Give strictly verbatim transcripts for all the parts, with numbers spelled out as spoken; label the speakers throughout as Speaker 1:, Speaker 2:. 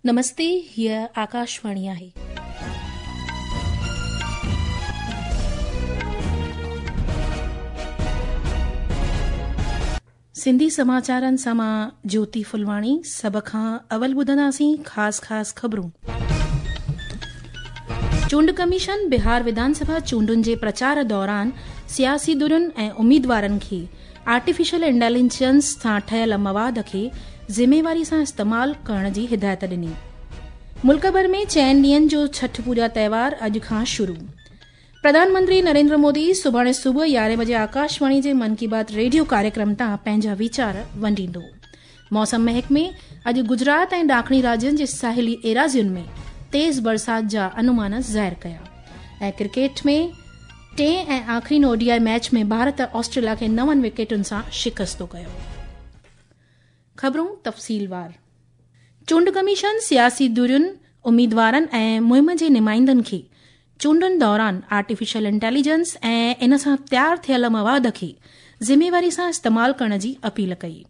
Speaker 1: नमस्ते, हीअ आकाशवाणी आहे। सिंधी समाचारनि सां मां ज्योति फुलवाणी। सभ खां अवल ॿुधंदासीं ख़ासि ख़ासि ख़बरूं। चूंड कमीशन बिहार विधानसभा चूंडुनि जे प्रचार दौरान सियासी धुरियुनि ऐं उम्मीदवारनि खे आर्टिफिशियल इंटेलिजेंस सां ठहियल मवाद खे ज़िम्मेवारी सां इस्तेमाल करण जी हिदायत ॾिनी। मुल्क भर में चइनि ॾींहंनि जो छठ पूजा त्योहार अॼु खां शुरू। प्रधानमंत्री नरेंद्र मोदी सुभाणे सुबुह यारहें बजे आकाशवाणी जे मन की बात रेडियो कार्यक्रम तां पंहिंजा वीचार वंडींदो। मौसम महकमे अॼु गुजरात ऐं ॾाखणी राज्यनि जे साहिली एराज़ियुनि में तेज़ बरसात जा अनुमान ज़ाहिर कया। ऐं क्रिकेट में टे ऐं आख़िरी ओडीआई मैच में भारत ऑस्ट्रेलिया खे नवनि विकेटुनि सां शिकस्तो कयो। ख़बरूं तफ़सीलवार। चूंड कमीशन सियासी धुरियुनि, उम्मीदवारनि ऐं मुहिम जे नुमाइंदनि खे चूंडुनि दौरान आर्टिफिशियल इंटेलिजेंस ऐं इन सां तयार थियल मवाद खे ज़िम्मेवारी सां इस्तेमाल करण जी अपील कई।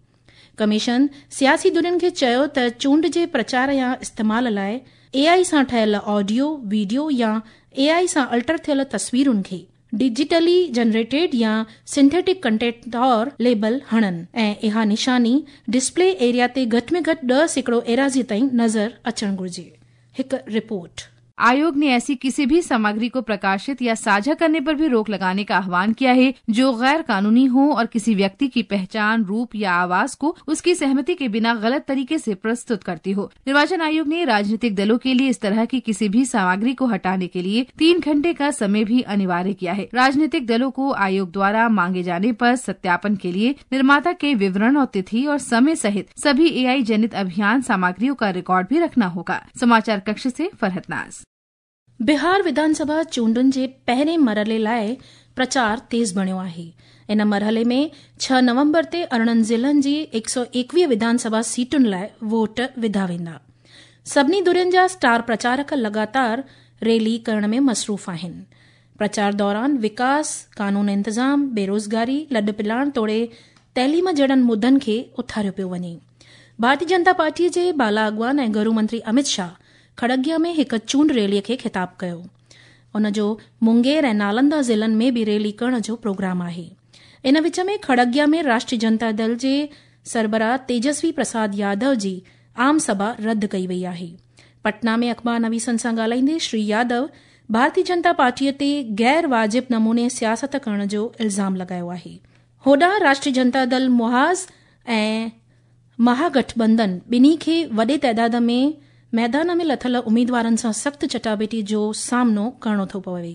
Speaker 1: कमीशन सियासी धुरियुनि खे चयो त चूंड जे प्रचार या इस्तेमाल लाइ एआई सां ठहियल ऑडियो, वीडियो या एआई सां अल्टर थियल तस्वीरुनि खे डिजिटली जनरेटेड या सिंथेटिक कंटेंट तौर लेबल हणनि ऐं इहा निशानी डिस्प्ले एरिया ते घटि में घटि ॾह सैकड़ो एराज़ी ताईं नज़र अचणु घुर्जे। हिकु रिपोर्ट।
Speaker 2: आयोग ने ऐसी किसी भी सामग्री को प्रकाशित या साझा करने पर भी रोक लगाने का आह्वान किया है जो गैर कानूनी हो और किसी व्यक्ति की पहचान, रूप या आवाज को उसकी सहमति के बिना गलत तरीके से प्रस्तुत करती हो। निर्वाचन आयोग ने राजनीतिक दलों के लिए इस तरह की किसी भी सामग्री को हटाने के लिए तीन घंटे का समय भी अनिवार्य किया है। राजनीतिक दलों को आयोग द्वारा मांगे जाने पर सत्यापन के लिए निर्माता के विवरण और तिथि और समय सहित सभी एआई जनित अभियान सामग्रियों का रिकॉर्ड भी रखना होगा। समाचार कक्ष से फरहत नाज।
Speaker 1: बिहार विधानसभा चूंडुनि जे पहिरें मरहले लाइ प्रचार तेज़ बणियो आहे। इन मरहले में छह नवंबर ते अरिड़हं ज़िलनि जी हिकु सौ एकवीह विधानसभा सीटुनि लाइ वोट विधा वेंदा। सभिनी धुरियुनि जा स्टार प्रचारक लगातार रैली करण में मसरूफ़ आहिनि। प्रचार दौरान विकास, कानून इंतज़ाम, बेरोज़गारी, लॾ पिलाण तोड़े तइलीम जहिड़नि मुद्दनि खे उथारियो पियो वञे। भारतीय जनता पार्टीअ जे बाला अॻवान ऐं गृह मंत्री अमित शाह खड़गिया में हिकु चूंड रैलीअ खे ख़िताब कयो। उन जो मुंगेर ऐं नालंदा ज़िलनि में बि रैली करण जो प्रोग्राम आहे। इन विच में खड़गिया में राष्ट्रीय जनता दल जे सरबराह तेजस्वी प्रसाद यादव जी आम सभा रद्द कई वई आहे। पटना में अख़बार नवीसनि सां ॻाल्हाईंदे श्री यादव भारतीय जनता पार्टीअ ते गैर वाजिब नमूने सियासत करण जो इल्ज़ाम लॻायो आहे। होॾां राष्ट्रीय जनता दल मुहाज़ ऐं महागठबंधन ॿिन्ही खे वॾे तादाद में मैदान में लथल उम्मीदवारनि सां सख़्तु चटाबेटी जो सामनो करिणो थो पवे।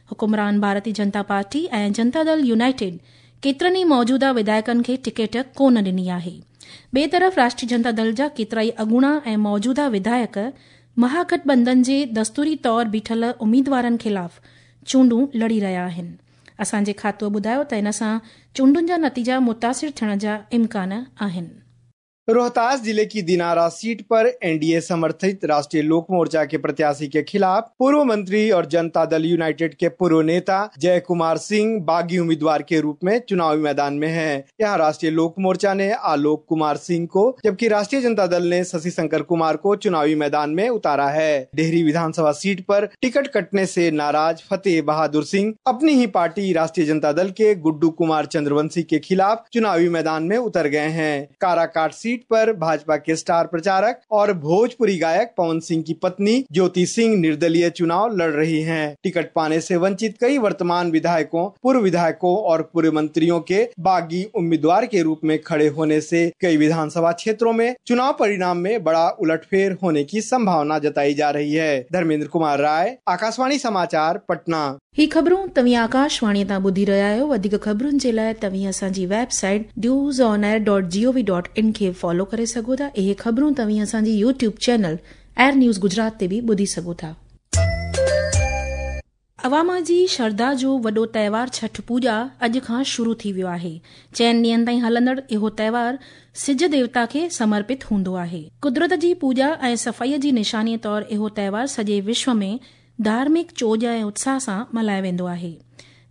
Speaker 1: हुकुमरान भारतीय जनता पार्टी ऐं जनता दल यूनाइटेड केतिरनि ई मौजूदा विधायकनि खे टिकेट कोन ॾिनी आहे। ॿिए तरफ़ राष्ट्रीय जनता दल जा केतिरा ई अॻूणा ऐं मौजूदा विधायक महागठबंधन जे दस्तूरी तौर बीठल उम्मीदवारनि ख़िलाफ़ चूंडूं लड़ी रहिया आहिनि। असांजे खातो ॿुधायो त इन सां चूंडुनि जा नतीजा मुतासिर थियण जा इम्कान आहिनि।
Speaker 3: रोहतास जिले की दिनारा सीट पर एनडीए समर्थित राष्ट्रीय लोक मोर्चा के प्रत्याशी के खिलाफ पूर्व मंत्री और जनता दल यूनाइटेड के पूर्व नेता जय कुमार सिंह बागी उम्मीदवार के रूप में चुनावी मैदान में हैं। यहां राष्ट्रीय लोक मोर्चा ने आलोक कुमार सिंह को जबकि राष्ट्रीय जनता दल ने शशि शंकर कुमार को चुनावी मैदान में उतारा है। डेहरी विधानसभा सीट पर टिकट कटने से नाराज फतेह बहादुर सिंह अपनी ही पार्टी राष्ट्रीय जनता दल के गुड्डू कुमार चंद्रवंशी के खिलाफ चुनावी मैदान में उतर गए हैं। काराकाट सीट पर भाजपा के स्टार प्रचारक और भोजपुरी गायक पवन सिंह की पत्नी ज्योति सिंह निर्दलीय चुनाव लड़ रही हैं। टिकट पाने से वंचित कई वर्तमान विधायकों, पूर्व विधायकों और पूर्व मंत्रियों के बागी उम्मीदवार के रूप में खड़े होने से कई विधानसभा क्षेत्रों में चुनाव परिणाम में बड़ा उलटफेर होने की संभावना जताई जा रही है। धर्मेंद्र कुमार राय, आकाशवाणी समाचार, पटना।
Speaker 1: ही ख़बरूं तव्हीं आकाशवाणी तां ॿुधी रहिया आहियो। वधीक ख़बरुनि जे लाइ तव्हीं असांजी website news on air dot G O V dot in खे फॉलो करे सघो था। इहे ख़बरूं तव्हीं असांजी YouTube channel air news Gujarat ते बि ॿुधी सघो था। अवाम जी श्रद्धा जो वॾो त्योहार छठ पूजा अॼु खां शुरू थी वियो आहे। चइनि ॾींहंनि ताईं हलंदड़ इहो त्योहार सिज देवता खे समर्पित हूंदो आहे। कुदरत जी पूजा ऐं सफ़ाईअ जी निशानीअ तौर इहो त्योहार सॼे विश्व में धार्मिक चोज ऐं उत्साह सां मल्हायो वेंदो आहे।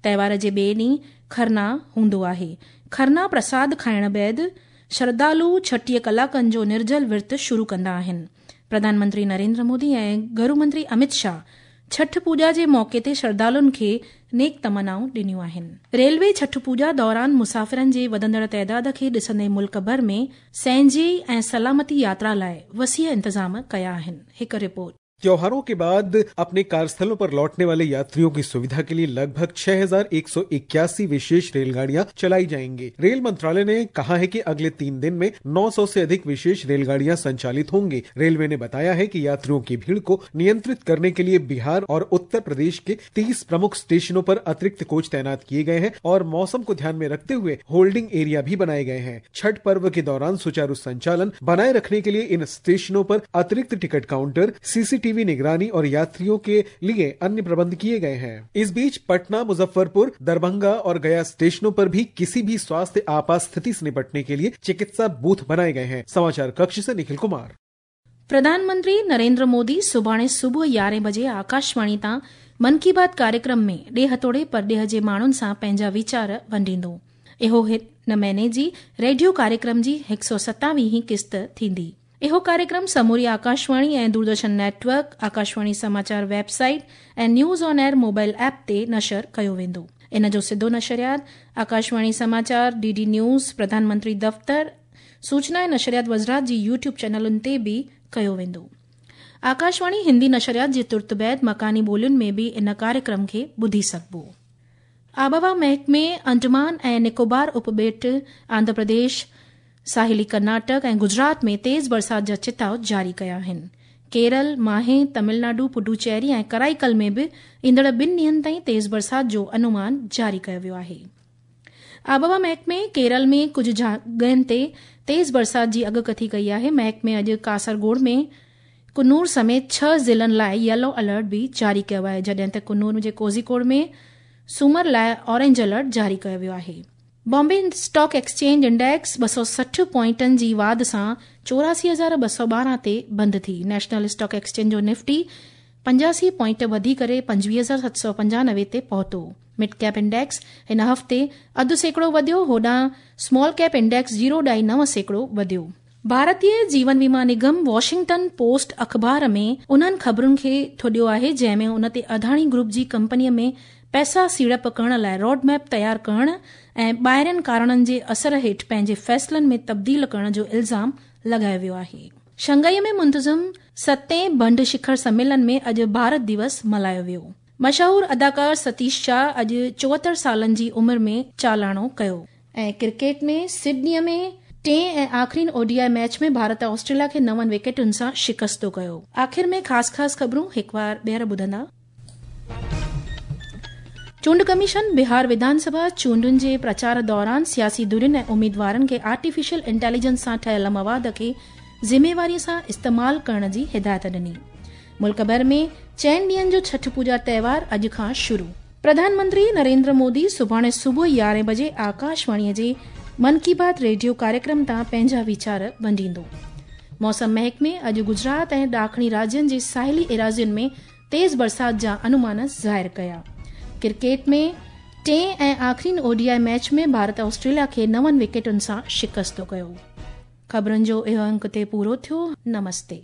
Speaker 1: त्योहार जे ॿिए ॾींहुं खरना हूंदो आहे। खरना प्रसाद खाइण बाद श्रद्धालु छटीह कलाकनि जो निर्जल विर्त शुरू कंदा आहिनि। प्रधानमंत्री नरेंद्र मोदी ऐं गृह मंत्री अमित शाह छठ पूजा जे मौक़े ते श्रद्धालुनि खे नेक तमन्नाऊं ॾिनियूं आहिनि। रेलवे छठ पूजा दौरान मुसाफ़िरनि जे वधंदड़ तइदाद खे ॾिसंदे मुल्क भर में सहंजी ऐं सलामती यात्रा लाइ वसीअ इंतज़ाम कया आहिनि। हिकु रिपोर्ट।
Speaker 4: त्योहारों के बाद अपने कार्यस्थलों पर लौटने वाले यात्रियों की सुविधा के लिए लगभग छह हजार एक सौ इक्यासी विशेष रेलगाड़ियां चलाई जाएंगी। रेल मंत्रालय ने कहा है कि अगले तीन दिन में नौ सौ से अधिक विशेष रेलगाड़ियां संचालित होंगी। रेलवे ने बताया है कि यात्रियों की भीड़ को नियंत्रित करने के लिए बिहार और उत्तर प्रदेश के तीस प्रमुख स्टेशनों पर अतिरिक्त कोच तैनात किए गए हैं और मौसम को ध्यान में रखते हुए होल्डिंग एरिया भी बनाए गए हैं। छठ पर्व के दौरान सुचारू संचालन बनाए रखने के लिए इन स्टेशनों पर अतिरिक्त टिकट काउंटर, सीसीटीवी निगरानी और यात्रियों के लिए अन्य प्रबंध किए गए हैं। इस बीच पटना, मुजफ्फरपुर, दरभंगा और गया स्टेशनों पर भी किसी भी स्वास्थ्य आपात स्थिति से निपटने के लिए चिकित्सा बूथ बनाए गए हैं। समाचार कक्ष से निखिल कुमार।
Speaker 1: प्रधानमंत्री नरेंद्र मोदी सुभाणे सुबुह यारहें बजे आकाशवाणी तां मन की बात कार्यक्रम में ॾेह तोड़े परॾेह जे माण्हुनि सां पंहिंजा वीचार वंडींदो। इहो हिन महीने जी रेडियो कार्यक्रम जी हिकु सौ सतावीहीं क़िस्त थींदी। इहो कार्यक्रम समूरी आकाशवाणी ऐं दूरदर्शन नेटवर्क, आकाशवाणी समाचार वेबसाइट ऐं news on air mobile app ते नशर कयो वेंदो। इन जो सिधो नशरियात आकाशवाणी समाचार, डी डी न्यूज़, प्रधानमंत्री दफ़्तर, सूचना ऐं नशरियात वज़ारत जी यूट्यूब चैनलुनि ते बि कयो वेंदो। आकाशवाणी हिंदी नशरियात जे तुर्त बाद मकानी ॿोलियुनि में बि इन कार्यक्रम खे ॿुधी सघिबो। आबहवा महकमे अंडमान ऐं निकोबार उपॿेट, आंध्र प्रदेश, साहिली कर्नाटक ऐं गुजरात में तेज़ बरसात जा चिताव जारी कया आहिनि। केरल, माहे, तमिलनाडु, पुडुचेरी ऐं कराईकल में बि ईंदड़ ॿिनि ॾींहंनि ताईं तेज़ बरसात जो अनुमान जारी कयो वियो आहे। आबहवा महकमे केरल में कुझु जॻहियुनि ते तेज़ बरसात जी अॻकथी कई आहे। महकमे अॼु कासरगोड में कुन्नूर समेत छह ज़िलनि लाइ येलो अलर्ट बि जारी कयो आहे, जॾहिं त कुन्नूर जे कोझिकोड में सूमर लाइ ऑरेंज अलर्ट जारी कयो वियो आहे। बॉम्बे स्टॉक एक्सचेंज इंडेक्स ॿ सौ सठि पॉइंटनि जी वाध सां चौरासी हज़ार ॿ सौ ॿारहं ते बंदि थी। नेशनल स्टॉक एक्सचेंज जो निफ्टी पंजासी पॉइंट वधी करे पंजवीह हज़ार सत सौ पंजानवे ते पहुतो। मिड कैप इंडेक्स हिन हफ़्ते अधु सैकड़ो वधियो, होॾां स्मॉल कैप इंडेक्स ज़ीरो ॾाई नव सैकड़ो वधियो। भारतीय जीवन बीमा निगम वॉशिंगटन पोस्ट अख़बार में उन्हनि ख़बरुनि खे थोॾियो आहे जंहिं में उन ते अदानी ग्रुप जी कंपनीअ में पैसा सीड़प करण लाइ रोड मैप तयार करण ऐं ॿाहिरियनि कारणनि जे असर हेठि पंहिंजे फ़ैसिलनि में तब्दील करण जो इल्ज़ाम लॻायो वियो आहे। शंघाई में मुंतज़िम सतें बंड शिखर सम्मेलन में अॼु भारत दिवस मल्हायो वियो। मशहूर अदाकार सतीश शाह अॼु चोहतरि सालनि जी उमिरि में चालाणो कयो। ऐं क्रिकेट में सिडनीअ में टे ऐं आख़िरी ओडीआई मैच में भारत ऑस्ट्रेलिया खे नवनि विकेटुनि सां शिकस्तो कयो। आख़िर में ख़ासि ख़ासि ख़बरूं हिकु वार ॿीहर ॿुधंदा। चूंड कमीशन बिहार विधानसभा चूंडुनि जे प्रचार दौरान सियासी धुरियुनि ऐं उम्मीदवारनि खे आर्टिफिशियल इंटेलिजेंस सां ठहियल मवाद खे ज़िम्मेवारीअ सां इस्तेमाल करण जी हिदायत ॾिनी। मुल्क भर में चइनि ॾींहंनि जो छठ पूजा त्योहार अॼु खां शुरू। प्रधानमंत्री नरेंद्र मोदी सुभाणे सुबुह यारहें बजे आकाशवाणीअ जे मन की बात रेडियो कार्यक्रम तां पंहिंजा वीचार वंडींदो। मौसम महकमे अॼु गुजरात ऐं ॾाखणी राज्यनि जे साहिली एराज़ियुनि में तेज़ बरसात जा अनुमान ज़ाहिर कया। क्रिकेट में टे ऐं आख़िरी ओडीआई मैच में भारत ऑस्ट्रेलिया खे नवनि विकेटुनि सां शिकस्तो कयो। ख़बरुनि जो इहो अंक ते पूरो थियो। नमस्ते।